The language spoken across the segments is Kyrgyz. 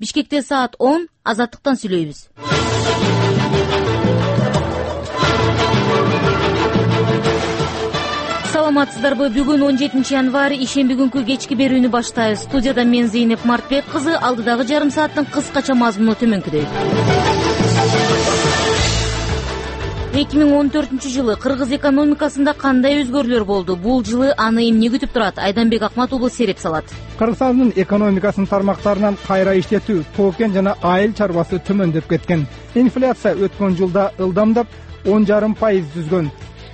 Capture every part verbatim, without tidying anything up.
Бишкекте саат он, Азаттыктан сүйлөйбүз. Саламатсыздарбы? Бүгүн он жетинчи январь, ишемби күнкү кечки берүүнү баштайбыз. Студияда мен Зейнеп Мартбек кызы, алдыдагы жарым сааттын кыскача мазмуну төмөнкүдөй. эки миң он төртүнчү жылы Кыргыз экономикасында кандай өзгөрүүлөр болду? Бул жылы аны эмне күтүп турат? Айданбек Акматуулу сереп салат. Кыргызстандын экономикасынын тармактарынан кайра иштетүү, тоо-кен жана айыл чарбасы төмөндөп кеткен. Инфляция өткөн жылда ылдамдап он жарым пайыз түзгөн.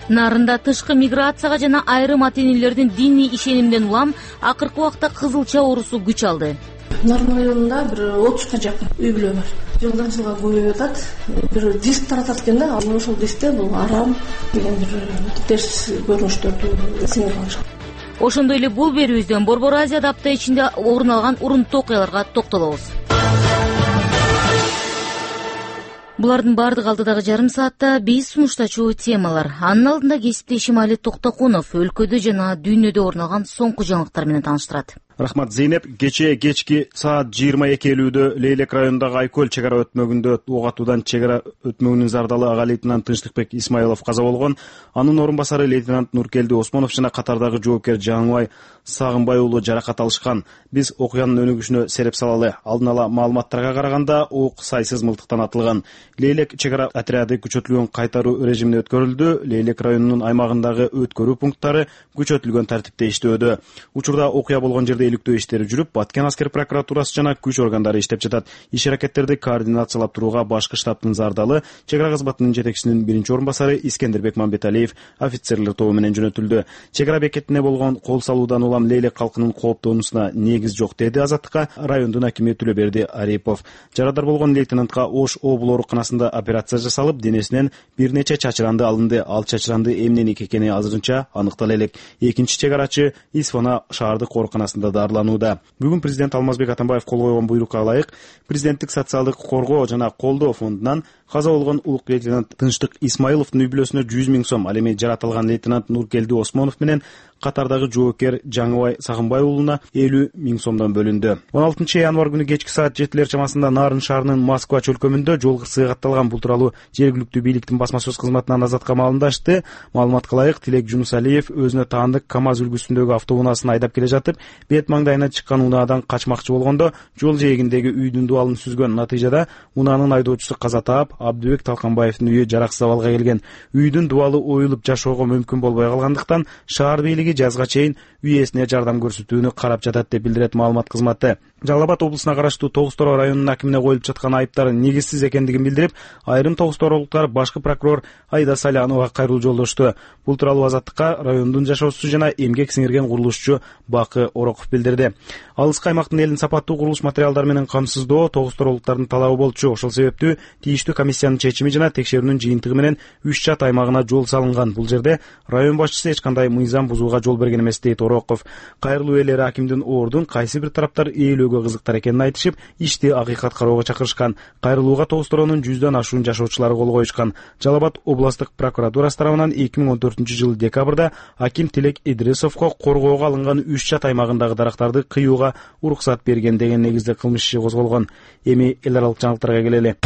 Нарында тышкы миграцияга жана айрым ата-энелердин диний ишенимден улам акыркы убакта кызылча оорусу күч алды. Нарын районунда бир отузга жакын үй бүлө бар. Жылдан жылга көбөйүп атат. Бир диск таратат экен да, ошол дискте бул арам деген бир терс көрүнүштөрдү сиңирип алышат. Ошондой эле бул берүүбүздөн Борбор Азияда апта ичинде орун алган урунттуу окуяларга токтолобуз. Булардын бардыгы алдыдагы жарым саатта биз сунуштачу темалар. Анын алдында кесипте Ишимали Токтокунов өлкөдө жана дүйнөдө орун алган соңку жаңылыктар менен тааныштырат. Рахмат, Зейнеп. Кечээ кечки саат жыйырма эки элүүдө Лейлек районундагы Айкөл чек ара өтмөгүндө ок атуудан чек ара өтмөгүнүн зардалы ага лейтенант Тынчтыкбек Исмаилов каза болгон. Анын орун басары лейтенант Нуркелди Осмонов жана катардагы жоопкер Жаңыбай Сагынбай уулу жаракат алышкан. Биз окуянын өнүгүшүнө сереп салалы. Алдын ала маалыматтарга караганда ок сайсыз мылтыктан атылган. Лейлек чек ара отряды күчөтүлгөн кайтаруу режимине өткөрүлдү. Лейлек районунун аймагындагы өткөрүү пункттары күчөтүлгөн тартипте иштөөдө. Учурда окуя болгон жерде иликтөө иштери жүрүп, Баткен аскер прокуратурасы жана күч органдары иштеп жатат. Иш аракеттерди координациялап турууга башкы штабтын зардалы чек ара кызматынын жетекчисинин биринчи орун басары Искендербек Мамбеталиев офицерлер тобу менен жөнөтүлдү. Чек ара бекетине болгон кол салуудан улам Лейлек калкынын кооптонуусуна негиз жок, деди Азаттыкка райондун акими Түлөберди Арипов. Жарадар болгон лейтенантка Ош облуу ооруканасында операция жасалып, денесинен бир нече чачыранды алынды. Ал чачыранды эмненики экени азырынча аныктала элек. Экинчи чек арачы Исфана шаардык ооруканасында дарыланууда. Бүгүн президент Алмазбек Атамбаев кол койгон буйрукка ылайык президенттик социалдык коргоо жана колдоо фондунан каза болгон улук лейтенант Тынчтык Исмаиловдун үй бүлөсүнө жүз миң сом, ал эми жаратылган лейтенант Нуркелди Осмонов менен катардагы жоопкер Жаңыбай Сагынбай уулуна элүү миң сомдон бөлүндү. он алтынчы январь күнү кечки саат жетилер чамасында Нарын шаарынын Москва чөлкөмүндө жол кырсыгы катталган. Бул тууралуу жергиликтүү бийликтин басма сөз кызматынан Азатка маалымдашты. Маалыматка ылайык, Тилек Жунусалиев өзүнө таандык КамАЗ үлгүсүндөгү автоунаасын айдап келе жатып, бет маңдайына чыккан унаадан качмакчы болгондо жол жээгиндеги үйдүн дубалын сүзгөн. Натыйжада унаанын айдоочусу каза таап, Абдыбек Талканбаевдин үйү жараксыз абалга келген. Үйдүн дубалы оюлуп жашоого мүмкүн болбой калгандыктан шаар бийлиги жазга чейин үй ээсине жардам көрсөтүүнү карап жатат деп билдирет маалымат кызматы. Жалал Абад облусуна караштуу Тогуз Тороо районунун акимине коюлуп жаткан айыптар негизсиз экендигин билдирип, айрым Тогуз Торолуктар башкы прокурор Айда Салянова кайрылуу жолдошту. Бул тууралуу Азаттыкка райондун жашоочусу жана эмгек сиңирген курулушчу Бакы Ороков билдирди. Алыскы аймактын элин сапаттуу курулуш материалдары менен камсыздоо Тогуз Торолуктардын талабы болчу. Ошол себептүү тийиштүү комиссиянын чечими жана текшерүүнүн жыйынтыгы менен үч чат аймагына жол салынган. Бул жерде район башчысы эч кандай мыйзам бузууга жол берген эмес, дейт Ороков. Кайрылуу ээлери акимдин ордун кайсы бир тараптар ээлөөгө кызыктар экенин айтышып, ишти акыйкат кароого чакырышкан. Кайрылууга Тогуз Торонун жүздөн ашуун жашоочулары кол коюшкан. Жалал Абад областык прокуратурасы тарабынан эки миң он төртүнчү жылы декабрда аким Тилек Идрисовго коргоого алынган үч чат аймагындагы дарактарды кыюуга уруксат берген деген негизде кылмыш иши козголгон. Эми эл аралык жаңылыктарга келели.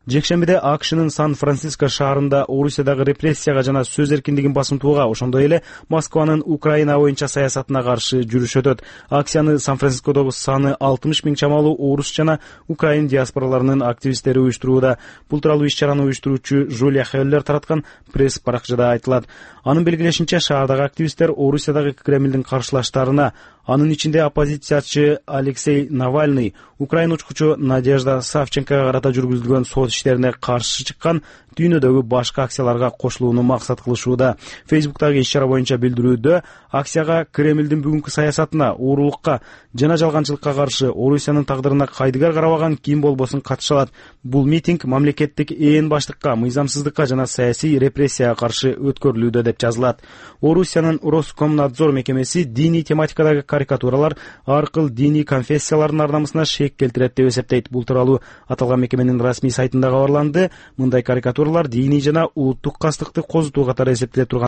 Жекшембиде АКШнын Сан-Франциско шаарында Орусиядагы репрессияга жана сөз эркиндигин басымтууга, ошондой эле Москванын Украина боюнча саясатына каршы жүрүш өтөт. Акцияны Сан-Францискодогу саны алтымыш миң чамалуу орус жана украин диаспораларынын активисттери уюштурууда. Бул тууралуу иш-чараны уюштуруучу Жулия Хеллер тараткан пресс баракчада айтылат. Анын белгилешинче, шаардагы активисттер Орусиядагы Кремлдин каршылаштарына, анын ичинде оппозициячы Алексей Навальный, украин учкучу Надежда Савченкога карата жүргүзүлгөн сот иштерине каршы чыккан дүйнөдөгү башка акцияларга кошулууну максат кылышууда. Фейсбуктагы иш-чара боюнча билдирүүдө акцияга Кремлдин бүгүнкү саясатына, уурулукка жана жалганчылыкка каршы Орусиянын тагдырына кайдыгар карабаган ким болбосун катыша алат. Бул митинг мамлекеттик ээн баштыкка, мыйзамсыздыкка жана саясий репрессияга каршы өткөрүлүүдө деп жазылат. Орусиянын Роскомнадзор мекемеси диний тематикадагы карикатуралар аркылуу диний конфессиялардын ар намысына шек келтирет деп эсептейт. Бул тууралуу аталган мекеменин расмий сайтында кабарланды. Мындай карикатура процедуралар диний жана улуттук кастыкты козутуу катары эсептеле турган